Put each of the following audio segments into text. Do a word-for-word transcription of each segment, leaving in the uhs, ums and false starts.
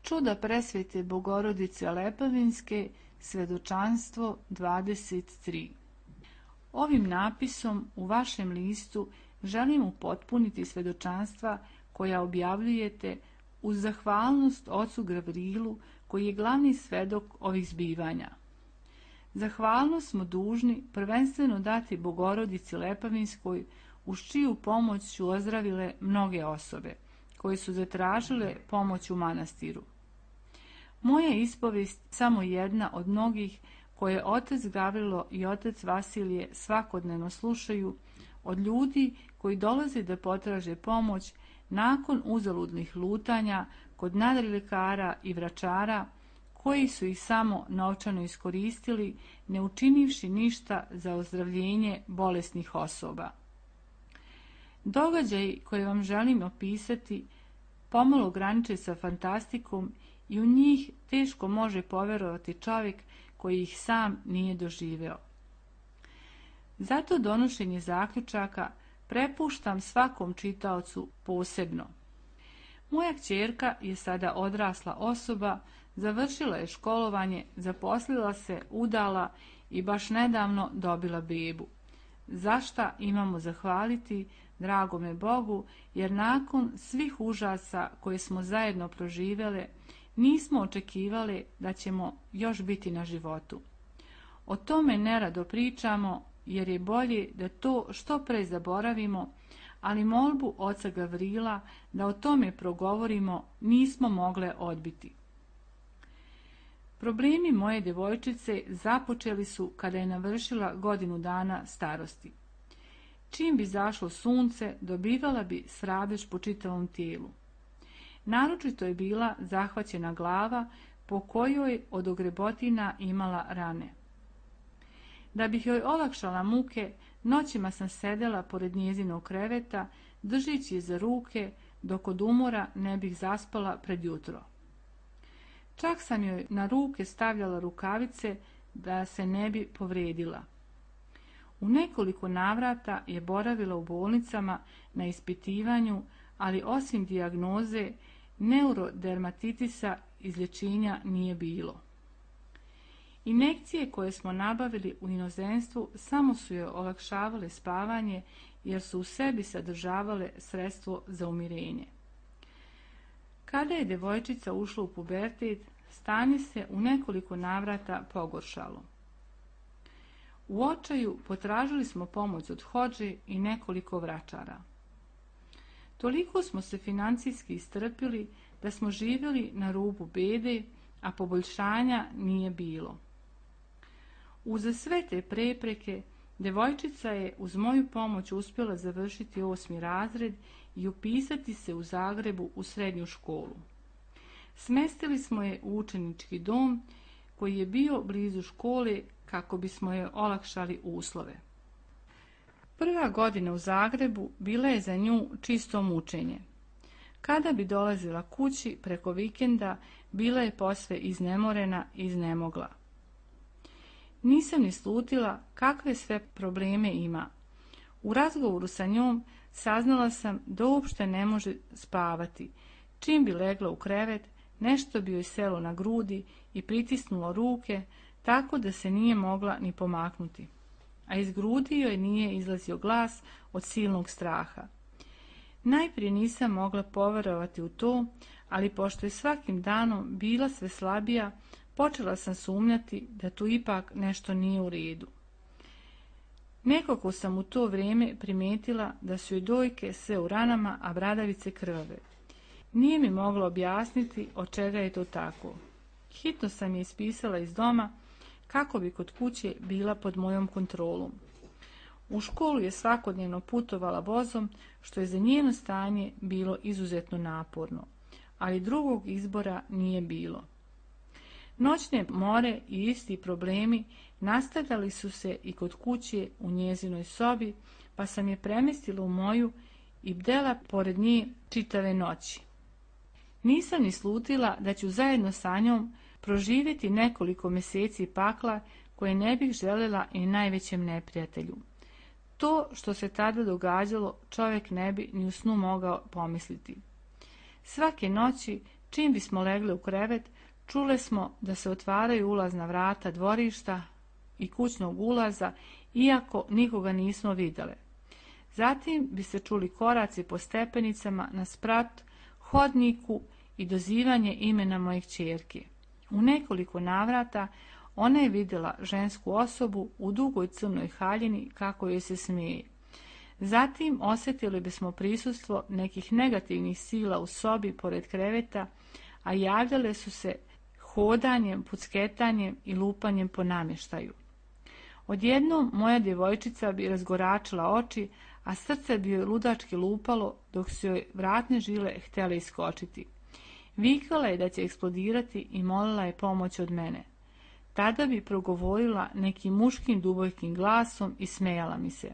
Čuda presvete Bogorodice Lepavinske, svedočanstvo dvadeset tri. Ovim napisom u vašem listu želim upotpuniti svedočanstva koja objavljujete uz zahvalnost ocu Gavrilu, koji je glavni svedok ovih zbivanja. Zahvalnost smo dužni prvenstveno dati Bogorodici Lepavinskoj, uz čiju pomoć su ozdravile mnoge osobe koje su zatražile pomoć u manastiru. Moja ispovest samo jedna od mnogih koje otac Gavrilo i otac Vasilije svakodnevno slušaju od ljudi koji dolaze da potraže pomoć nakon uzaludnih lutanja kod nadrilekara i vračara, koji su ih samo novčano iskoristili, ne učinivši ništa za ozdravljenje bolesnih osoba. Događaji koje vam želim opisati pomalo graniče sa fantastikom i u njih teško može poverovati čovjek koji ih sam nije doživeo. Zato donošenje zaključaka prepuštam svakom čitaocu posebno. Moja kćerka je sada odrasla osoba, završila je školovanje, zaposlila se, udala i baš nedavno dobila bebu. Zašta imamo zahvaliti dragome Bogu, jer nakon svih užasa koje smo zajedno proživjele, nismo očekivali da ćemo još biti na životu. O tome nerado pričamo, jer je bolje da to što pre zaboravimo, ali molbu oca Gavrila da o tome progovorimo nismo mogle odbiti. Problemi moje djevojčice započeli su kada je navršila godinu dana starosti. Čim bi zašlo sunce, dobivala bi srabež po čitavom tijelu. Naročito je bila zahvaćena glava, po kojoj od ogrebotina imala rane. Da bih joj olakšala muke, noćima sam sedela pored njezinog kreveta, držeći je za ruke, dok od umora ne bih zaspala pred jutro. Čak sam joj na ruke stavljala rukavice da se ne bi povredila. U nekoliko navrata je boravila u bolnicama na ispitivanju, ali osim dijagnoze neurodermatitisa izlječenja nije bilo. Injekcije koje smo nabavili u inozemstvu samo su joj olakšavale spavanje, jer su u sebi sadržavale sredstvo za umirenje. Kada je djevojčica ušla u pubertet, stanje se u nekoliko navrata pogoršalo. U očaju potražili smo pomoć od hodže i nekoliko vračara. Toliko smo se financijski istrpili da smo živjeli na rubu bede, a poboljšanja nije bilo. Uza sve te prepreke, djevojčica je uz moju pomoć uspjela završiti osmi razred i upisati se u Zagrebu u srednju školu. Smestili smo je u učenički dom koji je bio blizu škole kako bismo je olakšali uslove. Prva godina u Zagrebu bila je za nju čisto mučenje. Kada bi dolazila kući preko vikenda, bila je posve iznemorena i iznemogla. Nisam ni slutila kakve sve probleme ima. U razgovoru sa njom saznala sam da uopšte ne može spavati. Čim bi legla u krevet, nešto bi joj selo na grudi i pritisnulo ruke, tako da se nije mogla ni pomaknuti. A iz grudi joj nije izlazio glas od silnog straha. Najprije nisam mogla poverovati u to, ali pošto je svakim danom bila sve slabija, počela sam sumnjati da tu ipak nešto nije u redu. Nekako sam u to vrijeme primijetila da su joj dojke sve u ranama, a bradavice krvave. Nije mi mogla objasniti od čega je to tako. Hitno sam je ispisala iz doma kako bi kod kuće bila pod mojom kontrolom. U školu je svakodnevno putovala vozom, što je za njeno stanje bilo izuzetno naporno, ali drugog izbora nije bilo. Noćne more i isti problemi nastavljali su se i kod kuće u njezinoj sobi, pa sam je premjestila u moju i bdela pored nje čitave noći. Nisam ni slutila da ću zajedno sa njom proživjeti nekoliko mjeseci pakla koje ne bih željela i najvećem neprijatelju. To što se tada događalo čovjek ne bi ni u snu mogao pomisliti. Svake noći Čim bismo legli u krevet, čule smo da se otvaraju ulazna vrata dvorišta i kućnog ulaza, iako nikoga nismo vidjele. Zatim bi se čuli koraci po stepenicama na sprat, hodniku i dozivanje imena moje kćerke. U nekoliko navrata ona je vidjela žensku osobu u dugoj crnoj haljini kako joj se smeje. Zatim osjetili bismo prisustvo nekih negativnih sila u sobi pored kreveta, a javljale su se hodanjem, pucketanjem i lupanjem po namještaju. Odjednom moja djevojčica bi razgoračila oči, a srce bi joj ludački lupalo dok su joj vratne žile htjele iskočiti. Vikala je da će eksplodirati i molila je pomoć od mene. Tada bi progovorila nekim muškim dubokim glasom i smejala mi se.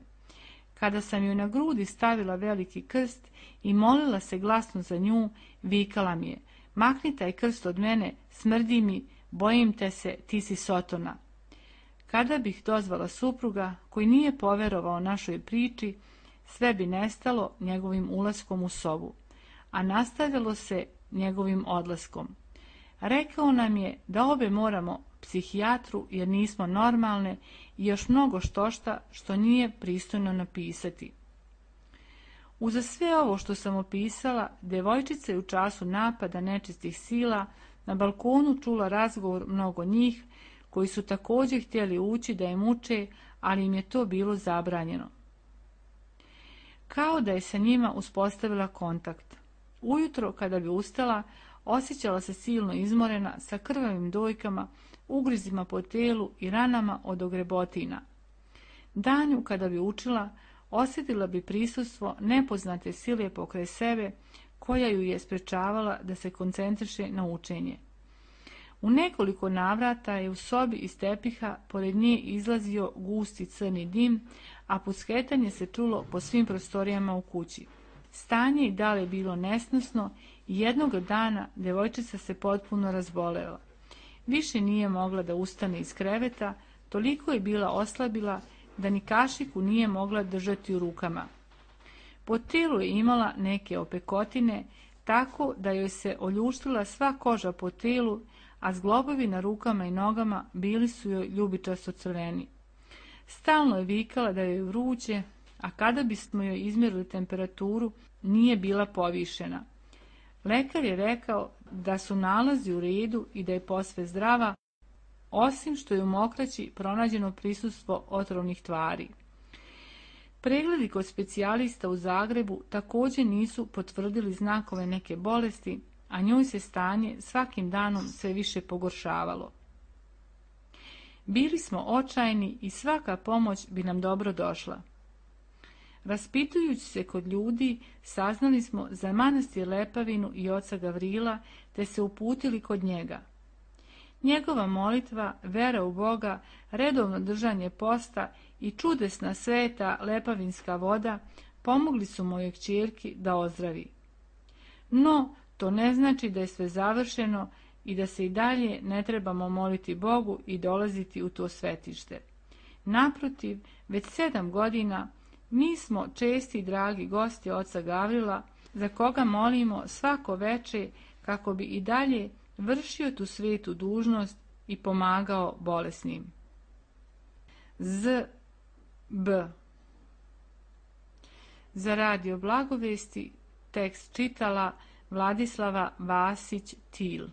Kada sam joj na grudi stavila veliki krst i molila se glasno za nju, vikala mi je: makni taj krst od mene, smrdi mi, bojim te se, ti si sotona. Kada bih dozvala supruga, koji nije poverovao našoj priči, sve bi nestalo njegovim ulaskom u sobu, a nastavilo se njegovim odlaskom. Rekao nam je da obe moramo psihijatru jer nismo normalne i još mnogo štošta što nije pristojno napisati. Uza sve ovo što sam opisala, djevojčica je u času napada nečistih sila na balkonu čula razgovor mnogo njih, koji su također htjeli ući da je muče, ali im je to bilo zabranjeno. Kao da je sa njima uspostavila kontakt. Ujutro, kada bi ustala, osjećala se silno izmorena, sa krvavim dojkama, ugrizima po telu i ranama od ogrebotina. Danju, kada bi učila, osjetila bi prisustvo nepoznate sile pokraj sebe, koja ju je sprečavala da se koncentriše na učenje. U nekoliko navrata je u sobi iz tepiha pored nje izlazio gusti crni dim, a pucketanje se čulo po svim prostorijama u kući. Stanje i dalje bilo nesnosno i jednog dana djevojčica se potpuno razbolela. Više nije mogla da ustane iz kreveta, toliko je bila oslabila da ni kašiku nije mogla držati u rukama. Po telu je imala neke opekotine, tako da joj se oljuštila sva koža po telu, a zglobovi na rukama i nogama bili su joj ljubičasto crveni. Stalno je vikala da joj je vruće, a kada bismo joj izmjerili temperaturu, nije bila povišena. Lekar je rekao da su nalazi u redu i da je posve zdrava, osim što je u mokraći pronađeno prisustvo otrovnih tvari. Pregledi kod specijalista u Zagrebu također nisu potvrdili znakove neke bolesti, a njoj se stanje svakim danom sve više pogoršavalo. Bili smo očajni i svaka pomoć bi nam dobro došla. Raspitujući se kod ljudi, saznali smo za manastir Lepavinu i oca Gavrila, te se uputili kod njega. Njegova molitva, vera u Boga, redovno držanje posta i čudesna sveta lepavinska voda pomogli su mojoj kćerki da ozdravi. No, to ne znači da je sve završeno i da se i dalje ne trebamo moliti Bogu i dolaziti u to svetište. Naprotiv, već sedam godina mi smo česti i dragi gosti oca Gavrila, za koga molimo svako veče kako bi i dalje vršio tu svetu dužnost i pomagao bolesnim. Z B Za radio Blagovesti tekst čitala Vladislava Vasić-Til.